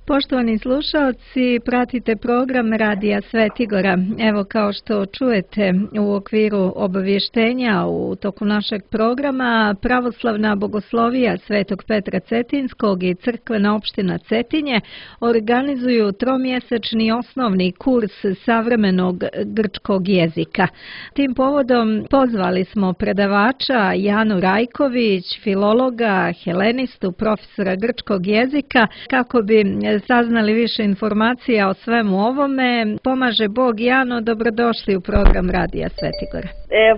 Poštovani slušaoci, pratite program Radija Svetigora. Evo, kao što čujete u okviru obavještenja u toku našeg programa, Pravoslavna bogoslovija Svetog Petra Cetinskog i Crkvena opština Cetinje organizuju tromjesečni osnovni kurs savremenog grčkog jezika. Tim povodom pozvali smo predavača Janu Rajković, filologa, helenistu, profesora grčkog jezika, kako bi saznali više informacija o svemu ovome. Pomaže Bog. Jano, dobrodošli u program Radija Svetigora.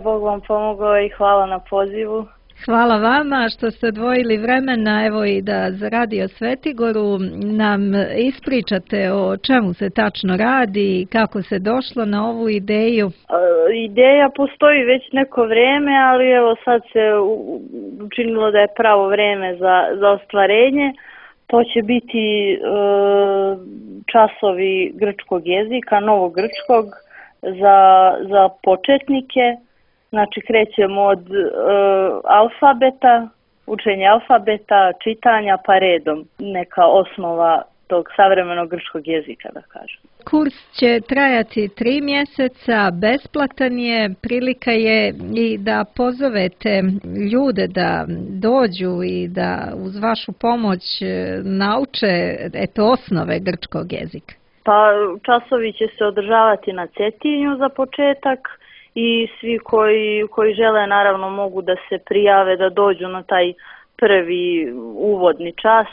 Bog vam pomogao i hvala na pozivu. Hvala vama što ste odvojili vremena, evo i da za Radio Svetigoru nam ispričate o čemu se tačno radi i kako se došlo na ovu ideju. Ideja postoji već neko vrijeme, ali evo sad se učinilo da je pravo vrijeme za ostvarenje. To će biti časovi grčkog jezika, novog grčkog za početnike. Znači krećemo od alfabeta, učenja alfabeta, čitanja pa redom. Neka osnova tog savremenog grčkog jezika, da kažem. Kurs će trajati 3 mjeseca, besplatan je, prilika je i da pozovete ljude da dođu i da uz vašu pomoć nauče osnove grčkog jezika. Pa časovi će se održavati na Cetinju za početak i svi koji žele naravno mogu da se prijave da dođu na taj prvi uvodni čas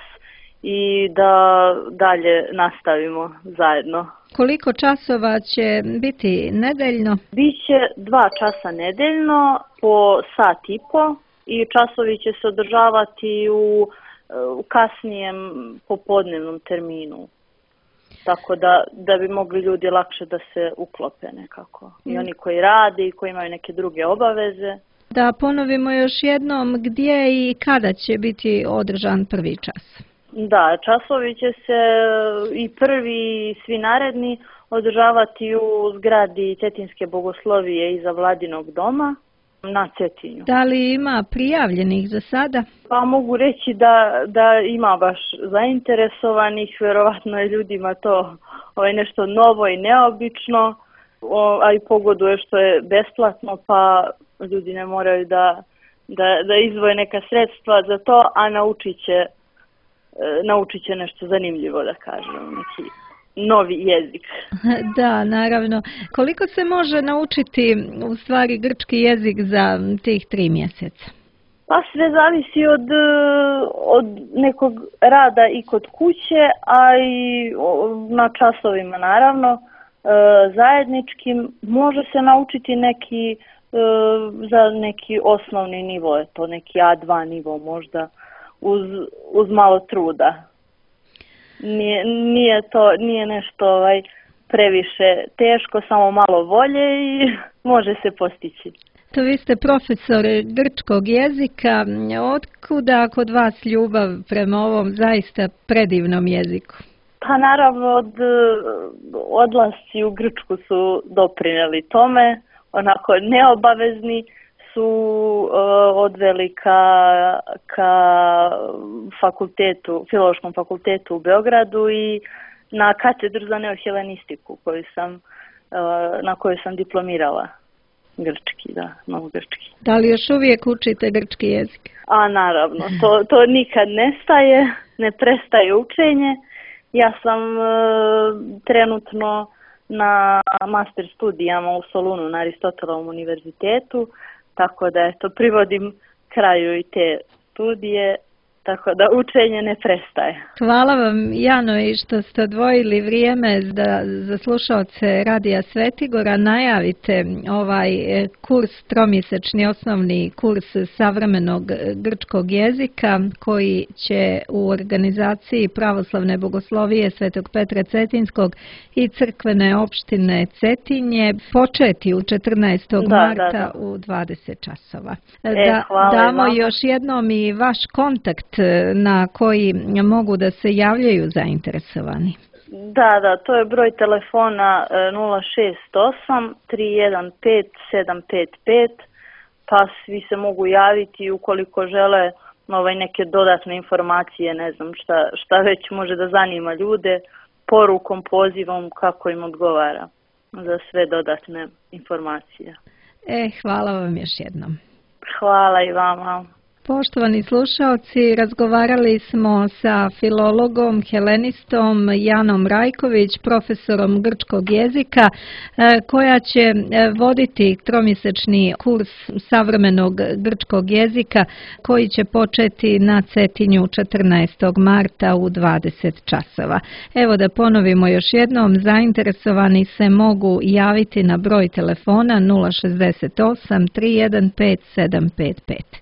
i da dalje nastavimo zajedno. Koliko časova će biti nedeljno? Biće 2 časa nedeljno po sat i po i časovi će se održavati u kasnijem popodnevnom terminu. Tako da bi mogli ljudi lakše da se uklope nekako. I oni koji rade i koji imaju neke druge obaveze. Da ponovimo još jednom gdje i kada će biti održan prvi čas. Da, časovi će se i prvi i svi naredni održavati u zgradi Cetinske bogoslovije iza Vladinog doma na Cetinju. Da li ima prijavljenih za sada? Pa mogu reći da ima baš zainteresovanih, verovatno je ljudima to nešto novo i neobično, a i pogoduje što je besplatno, pa ljudi ne moraju da izdvoje neka sredstva za to, a naučit će nešto zanimljivo, da kažem, neki novi jezik. Da, naravno. Koliko se može naučiti u stvari grčki jezik za tih 3 mjeseca? Pa sve zavisi od nekog rada i kod kuće, a i na časovima naravno zajedničkim. Može se naučiti za neki osnovni nivo, je to neki A2 nivo možda, uz malo truda. Nije nešto previše teško, samo malo volje i može se postići. To vi ste profesor grčkog jezika. Otkuda kod vas ljubav prema ovom zaista predivnom jeziku? Pa naravno odlasci u Grčku su doprinijeli tome, onako neobavezni su odveli ka fakultetu, Filološkom fakultetu u Beogradu i na katedru za neohelenistiku na kojoj sam diplomirala grčki, novogrčki. Da li još uvijek učite grčki jezik? A naravno, to nikad ne prestaje učenje. Ja sam trenutno na master studijama u Solunu na Aristotelovom univerzitetu, tako da privodim kraju i te studije, tako da učenje ne prestaje. Hvala vam, Jano, i što ste odvojili vrijeme da za slušaoce Radija Svetigora najavite ovaj kurs, tromjesečni osnovni kurs savremenog grčkog jezika, koji će u organizaciji Pravoslavne bogoslovije Svetog Petra Cetinskog i Crkvene opštine Cetinje početi u 14. marta u 20 časova. Damo još jednom i vaš kontakt na koji mogu da se javljaju zainteresovani. Da, to je broj telefona 068 315 755, pa svi se mogu javiti ukoliko žele neke dodatne informacije, ne znam šta već može da zanima ljude, porukom, pozivom, kako im odgovara za sve dodatne informacije. Hvala vam još jednom. Hvala i vama. Poštovani slušaoci, razgovarali smo sa filologom, helenistom Janom Rajković, profesorom grčkog jezika, koja će voditi tromjesečni kurs savremenog grčkog jezika koji će početi na Cetinju 14. marta u 20 časova. Evo da ponovimo još jednom, zainteresovani se mogu javiti na broj telefona 068 315 755.